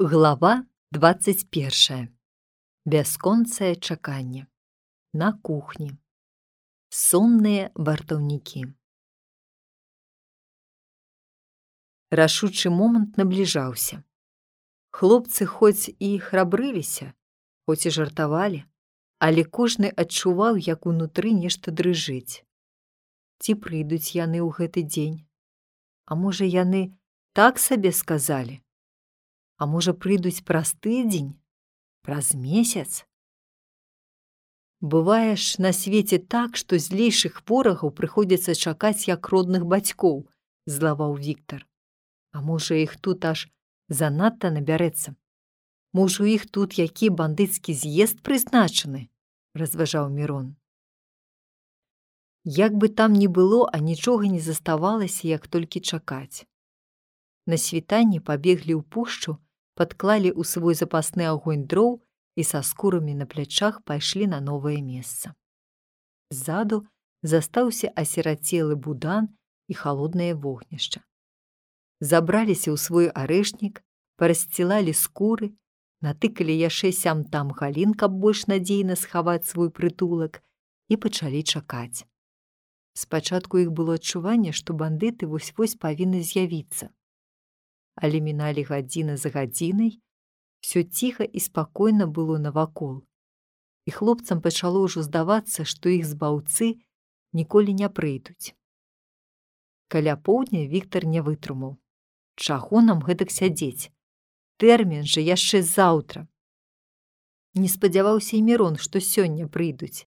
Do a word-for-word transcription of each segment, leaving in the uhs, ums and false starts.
Глава двадцать першая. Бясконцае чаканне. На кухні. Сонныя вартаўнікі. Рашучы момант набліжаўся. Хлопцы хоць і храбрыліся, хоць і жартавалі, але кожны адчуваў, як унутры нешта дрыжыць. Ці прыйдуць яны ў гэты дзень? А можа, яны так сабе сказалі? А можа, прыйдуць праз тыдзень, праз месяц? Бывае ж на свеце так, што злейшых ворагаў прыходзіцца чакаць як родных бацькоў, злаваў Віктар. А можа, іх тут аж занадта набярэцца? Можа, у іх тут які бандыцкі з'езд прызначаны? Разважаў Мірон. Як бы там ні было, а нічога не заставалася, як толькі чакаць. На світанні пабеглі ў пушчу, падклалі ў свой запасны агонь дроў і са скурамі на плячах пайшлі на новае месца. Ззаду застаўся асірацелы будан і халоднае вогнішча. Забраліся ў свой арэшнік, парасцілалі скуры, натыкалі яшчэ сям-там галін, каб больш надзейна схаваць свой прытулак, і пачалі чакаць. Спачатку іх было адчуванне, што бандыты вось-вось павінны з'явіцца. Але міналі гадзіна за гадзінай, усё ціха і спакойна было навакол, і хлопцам пачало ўжо здавацца, што іх збаўцы ніколі не прыйдуць. Каля поўдня Віктар не вытрымаў. Чаго нам гэтак сядзець? Тэрмін жа яшчэ заўтра. Не спадзяваўся і Мірон, што сёння прыйдуць,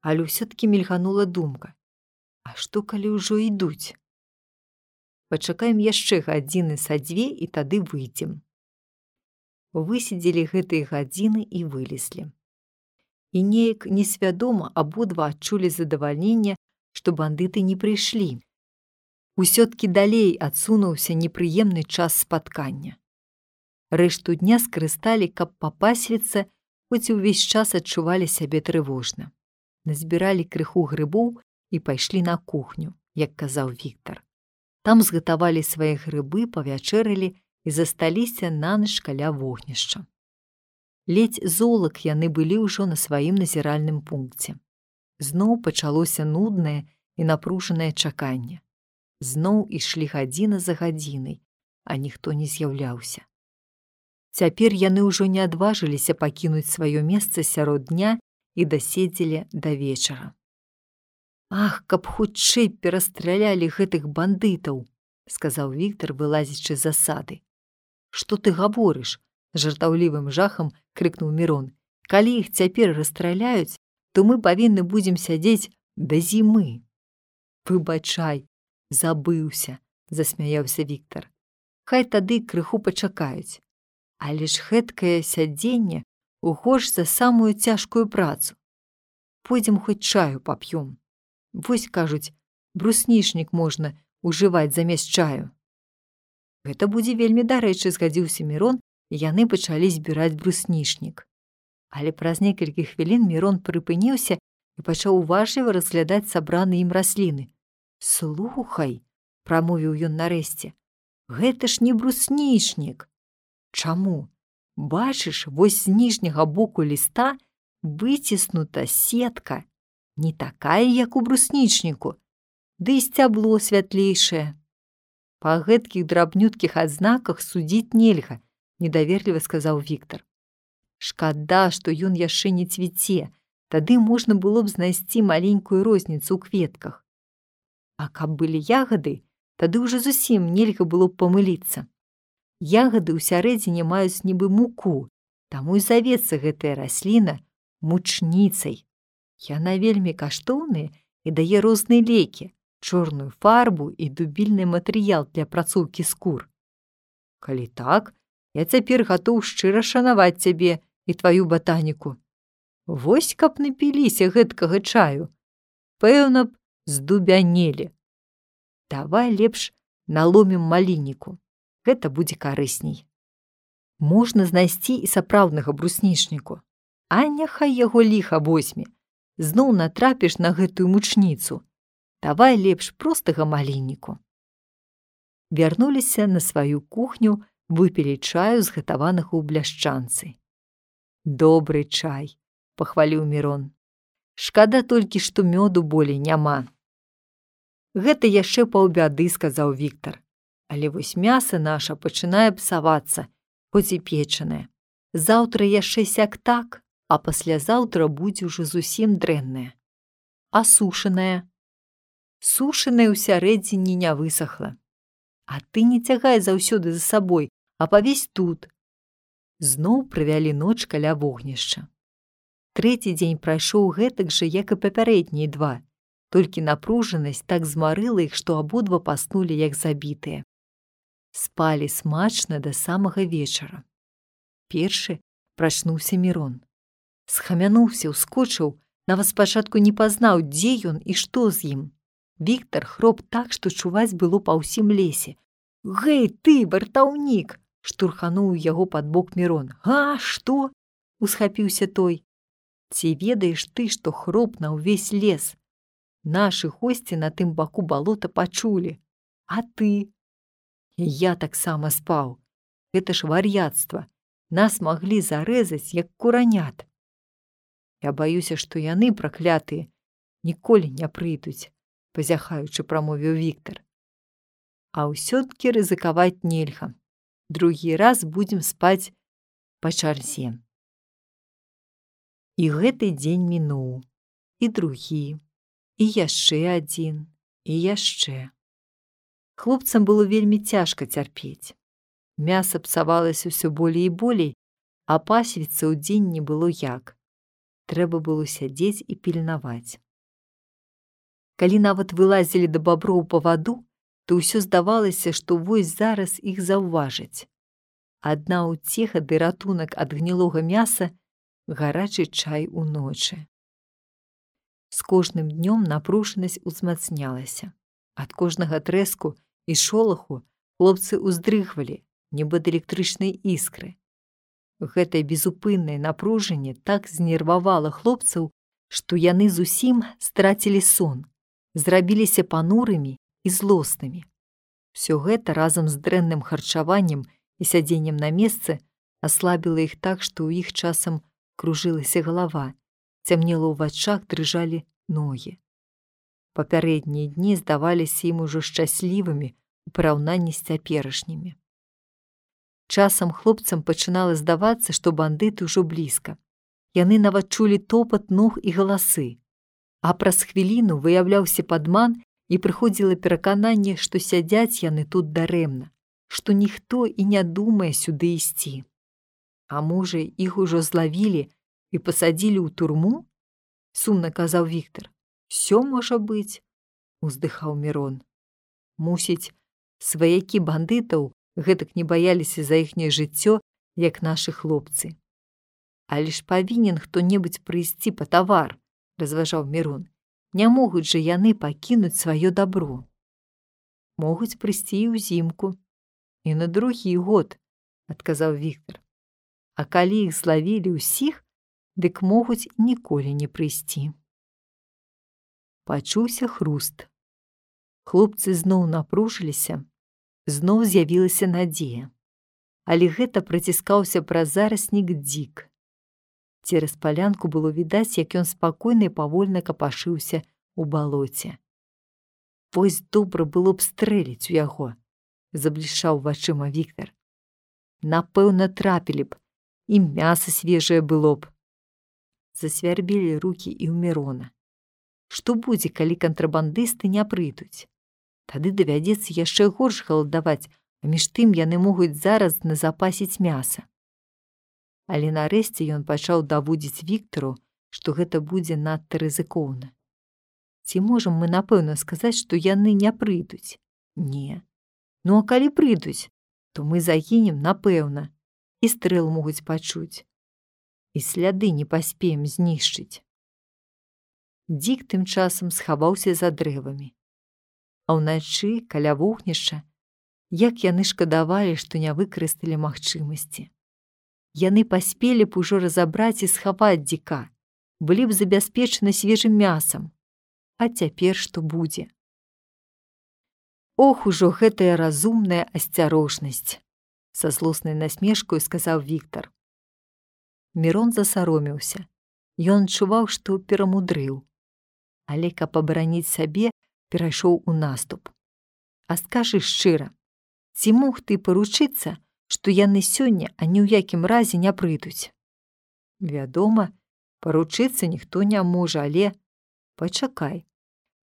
але ўсё-ткі мільганула думка. А што, калі ўжо ідуць? Пачакаем яшчэ гадзіны са дзве і тады выйдзем. Высидзелі гэтыя гадзіны і вылезлі. І неяк несвядома абодва адчулі задавальненне, што бандыты не прыйшлі. Усё-ткі далей адсунуўся непрыемны час спаткання. Рэшту дня скарысталі, каб папасвіцца, хоць увесь час адчувалі сябе трывожна. Назбіралі крыху грыбоў і пайшлі на кухню, як казаў Віктар. Там згатавалі свае грыбы, павячэралі і засталіся нанач каля вогнішча. Ледзь золак яны былі ўжо на сваім назіральным пункце. Зноў пачалося нуднае і напружанае чаканне. Зноў ішлі гадзіна за гадзінай, а ніхто не з'яўляўся. Цяпер яны ўжо не адважыліся пакінуць сваё месца сярод дня і даседзелі да вечара. «Ах, каб хутчэй перастралялі гэтых бандытаў!» — сказаў Віктар, вылазячы з засады. «Што ты гаворыш?» — жартаўлівым жахам крыкнуў Мірон. «Калі іх цяпер расстраляюць, то мы павінны будзем сядзець да зімы». «Выбачай, забыўся», — засмяяўся Віктар. «Хай тады крыху пачакаюць. Але ж гэткае сядзенне горш за самую цяжкую працу. Пойдзем хоць чаю пап'ём. Вось, кажуць, бруснічнік можна ўжываць замест чаю». «Гэта будзе вельмі дарэчы», — згадзіўся Мірон, і яны пачалі збіраць бруснічнік. Але праз некалькі хвілін Мірон прыпыніўся і пачаў уважліва разглядаць сабраныя ім расліны. «Слухай», — прамовіў ён нарэшце, — «гэта ж не бруснічнік». «Чаму? Бачыш, вось з ніжняга боку ліста выціснута сетка, не такая, як у бруснічніку, ды і сцябло святлейшае». «Па гэткіх драбнюткіх адзнаках судзіць нельга», — недаверліва сказаў Віктар. «Шкада, што ён яшчэ не цвіце, тады можна было б знайсці маленькую розніцу ў кветках. А каб былі ягады, тады ўжо зусім нельга было б памыліцца. Ягады ўсярэдзіне маюць нібы муку, таму і завецца гэтая расліна мучніцай. Яна вельмі каштоўная і дае розныя лекі, чорную фарбу і дубільны матэрыял для апрацоўкі скур. Калі так, я цяпер гатоў шчыра шанаваць цябе і тваю батаніку. Вось каб напіліся гэткага чаю, пэўна б здубянелі. Давай лепш наломім малінніку, гэта будзе карысней. Можна знайсці і сапраўднага бруснічніку, а няхай яго ліха возьме. Зноў натрапіш на гэтую мучніцу. Давай лепш простага малінніку». Вярнуліся на сваю кухню выпілі чаю, згатаванага ў бляшчанцы. Добры чай, пахваліў Мірон. Шкада толькі, што мёду болей няма. Гэта яшчэ паўбяды, сказаў Віктар. Але вось мяса наша пачынае псавацца, хоць і печанае. Заўтра яшчэ сяк так, а паслязаўтра будзе ўжо зусім дрэннае. А сушанае? Сушанае ўсярэдзіне не высахла. А ты не цягай заўсёды за сабой, а павесь тут. Зноў правялі ноч каля вогнішча. Трэці дзень прайшоў гэтак жа, як і папярэднія два, толькі напружанасць так змарыла іх, што абодва паснулі як забітыя. Спалі смачна да самага вечара. Першы прачнуўся Мірон. Схамянуўся, ускочыў, нават спачатку не пазнаў, дзе ён і што з ім. Віктар хроп так, што чуваць было па ўсім лесе. «Гэй, ты, вартаўнік!» – штурхануў яго пад бок Мірон. «А, што?» – усхапіўся той. «Ці ведаеш ты, што хроп на ўвесь лес? Нашы госці на тым баку балота пачулі. А ты?» «І я таксама спаў. Гэта ж вар'яцтва. Нас маглі зарэзаць, як куранят. Я баюся, што яны, праклятыя, ніколі не прыйдуць», – пазяхаючы прамовіў Віктар. «А ўсё-ткі рызыкаваць нельга. Другі раз будзем спаць па чарзе». І гэты дзень мінуў, і другі, і яшчэ адзін, і яшчэ. Хлопцам было вельмі цяжка цярпець. Мяса псавалася ўсё болей і болей, а пасвіцца ў дзень не было як. Трэба было сядзець і пільнаваць. Калі нават вылазілі да баброў па ваду, то ўсё здавалася, што вось зараз іх заўважаць. Адна ўцеха ды ратунак ад гнілога мяса – гарачы чай уночы. З кожным днём напружанасць узмацнялася. Ад кожнага трэску і шолаху хлопцы ўздрыгвалі, нібы ад электрычнай іскры. Гэтае безупыннае напружанне так знервавала хлопцаў, што яны зусім страцілі сон, зрабіліся панурымі і злоснымі. Усё гэта разам з дрэнным харчаваннем і сядзеннем на месцы аслабіла іх так, што ў іх часам кружылася галава, цямнела ў вачах, дрыжалі ногі. Папярэднія дні здаваліся ім ужо шчаслівымі у параўнанні з цяперашнімі. Часам хлопцам пачынала здавацца, што бандыты ўжо блізка. Яны нават чулі топат ног і галасы. А праз хвіліну выяўляўся падман і прыходзіла перакананне, што сядзяць яны тут дарэмна, што ніхто і не думае сюды ісці. А можа, іх ужо злавілі і пасадзілі ў турму? Сумна казаў Віктар. Всё можа быць, уздыхаў Мірон. Мусіць, сваякі бандытаў гэтак не баяліся за іхняе жыццё, як нашы хлопцы. Але ж павінен хто-небудзь прыйсці па тавар, разважаў Мірон. Не могуць жа яны пакінуць сваё дабро. Могуць прыйсці і ўзімку. І на другі год, адказаў Віктар. А калі іх злавілі ўсіх, дык могуць ніколі не прыйсці. Пачуўся хруст. Хлопцы зноў напружыліся, зноў з'явілася надзея. Але гэта праціскаўся праз зараснік дзік. Цераз палянку было відаць, як ён спакойна і павольна капашыўся ў балоце. Вось добра было б стрэліць у яго, заблішчаў вачыма Віктар. Напэўна, трапілі б, і мяса свежае было б. Засвярбілі рукі і ў Мірона. Што будзе, калі кантрабандысты не прыйдуць? Тады давядзецца яшчэ горш галадаваць, а між тым яны могуць зараз назапасіць мяса. Але нарэшце ён пачаў даводзіць Віктару, што гэта будзе надта рызыкоўна. Ці можам мы напэўна сказаць, што яны не прыйдуць? Не. Ну а калі прыйдуць, то мы загінем напэўна. І стрэл могуць пачуць. І сляды не паспеем знішчыць. Дзік тым часам схаваўся за дрэвамі. А ўначы, каля вогнішча, як яны шкадавалі, што не выкарысталі магчымасці. Яны паспелі б ужо разабраць і схаваць дзіка, былі б забяспечаны свежым мясам. А цяпер што будзе? Ох, ужо гэтая разумная асцярожнасць. са злоснай насмешкаю сказаў Віктар. Мірон засаромеўся. Ён адчуваў, што перамудрыў. Але каб абараніць сабе, перайшоў у наступ. А скажы шчыра, ці мог ты паручыцца, што яны сёння ані ў якім разе не прыйдуць? Вядома, паручыцца ніхто не можа, але... Пачакай.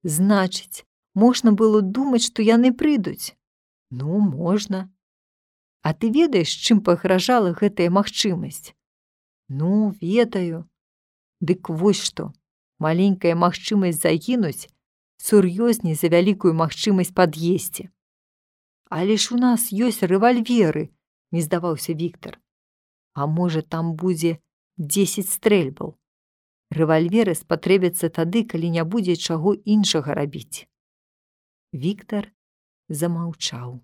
Значыць, можна было думаць, што яны прыйдуць? Ну, можна. А ты ведаеш, чым пагражала гэтая магчымасць? Ну, ведаю. Дык вось што, маленькая магчымасць загінуць сур'ёзней за вялікую магчымасць пад'есці. Але ж у нас ёсць рэвальверы, не здаваўся Віктар. А можа, там будзе дзесяць стрэльбаў. Рэвальверы спатрэбяцца тады, калі не будзе чаго іншага рабіць. Віктар замаўчаў.